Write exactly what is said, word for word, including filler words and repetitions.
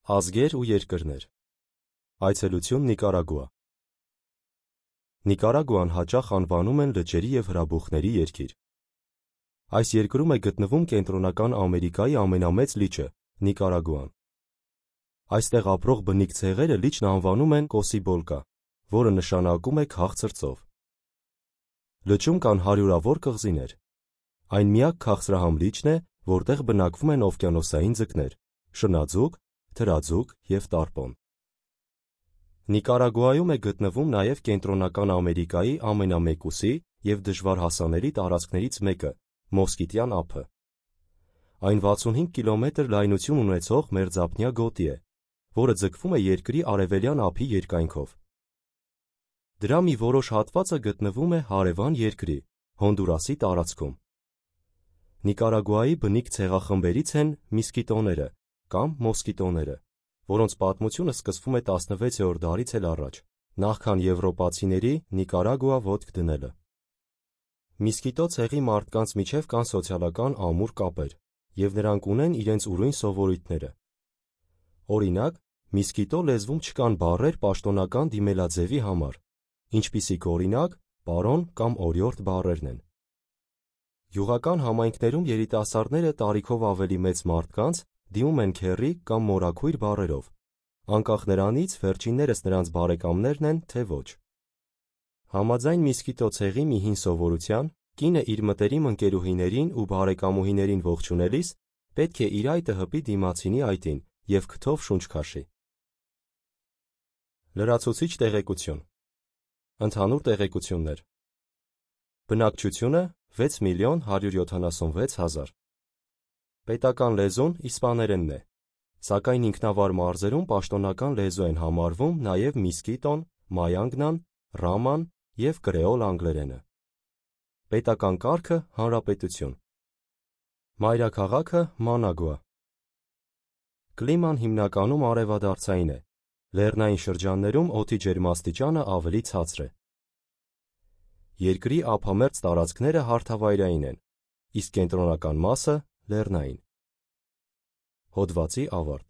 Ազգեր ու երկրներ։ Այցելություն Նիկարագուա։ Նիկարագուան հաճախ անվանում են լճերի և հրաբուխների երկիր։ Այս երկրում է գտնվում Կենտրոնական Ամերիկայի ամենամեծ լիճը՝ Նիկարագուան։ Այստեղ ապրող բնիկ ցեղերը լիճն անվանում են Կոսիբոլկա, որը նշանակում է քաղցր ծով։ Լճում կան հարյուրավոր կղզիներ։ Այն միակ քաղցրահամ լիճն է, որտեղ բնակվում են օվկիանոսային ձկներ՝ շնաձուկ, թրաձուկ և տարպոն։ Նիկարագուայում է գտնվում նաև Կենտրոնական Ամերիկայի ամենամեկուսի և դժվար հասանելի տարածքներից մեկը՝ Մոսկիտյան ափը։ Այն վաթսունհինգ կիլոմետր լայնություն ունեցող մերձափնյա գոտի է, որը ձգվում է երկրի արևելյան ափի երկայնքով։ Դրա մի որոշ հատվածը գտնվում է հարևան երկրի՝ Հոնդուրասի տարածքում։ Նիկարագուայի բնիկ ցեղախմբերից են միսկիտոները կամ մոսկիտոները, որոնց պատմությունը սկսվում է տասնվեցերորդ դարից էլ առաջ, նախքան եվրոպացիների Նիկարագուա ոտք դնելը։ Միսկիտո ցեղի մարդկանց միջև կան սոցիալական ամուր կապեր, և նրանք ունեն իրենց ուրույն սովորույթները։ Օրինակ, միսկիտո լեզվում չկան բառեր պաշտոնական դիմելաձևի համար, ինչպիսիք օրինակ, պարոն կամ օրիորդ բառերն են։ Գյուղական համայնքներում երիտասարդները տարիքով ավելի մեծ մարդկանց դիմում են քեռի կամ մորաքույր բառերով, անկախ նրանից վերջիններս նրանց բարեկամներն են, թե ոչ։ Համաձայն միսկիտո ցեղի մի հին սովորության, կինը իր մտերիմ ընկերուհիներին ու բարեկամուհիներին ողջունելիս պետք է իր այտը հպի դիմացինի այտին և քթով շունչ քաշի։ Լրացուցիչ տեղեկություն։ Ընդհանուր տեղեկություններ։ Բնակչությունը՝ վեց միլիոն հարյուր յոթանասունվեց հազար։ Պետական լեզուն իսպաներենն է, սակայն ինքնավար մարզերում պաշտոնական լեզու են համարվում նաև միսկիտոն, մայանգնան, ռաման և կրեոլ անգլերենը։ Պետական կարգը՝ հանրապետություն։ Մայրաքաղաքը՝ Մանագուա։ Կլիման հիմնականում արևադարձային է, լեռնային շրջաններում օդի ջերմաստիճանը ավելի ցածր է։ Երկրի ափամերձ տարածքները հարթավայրային են, իսկ կենտրոնական մասը՝ լեռնային։ Հոդվացի ավարտ։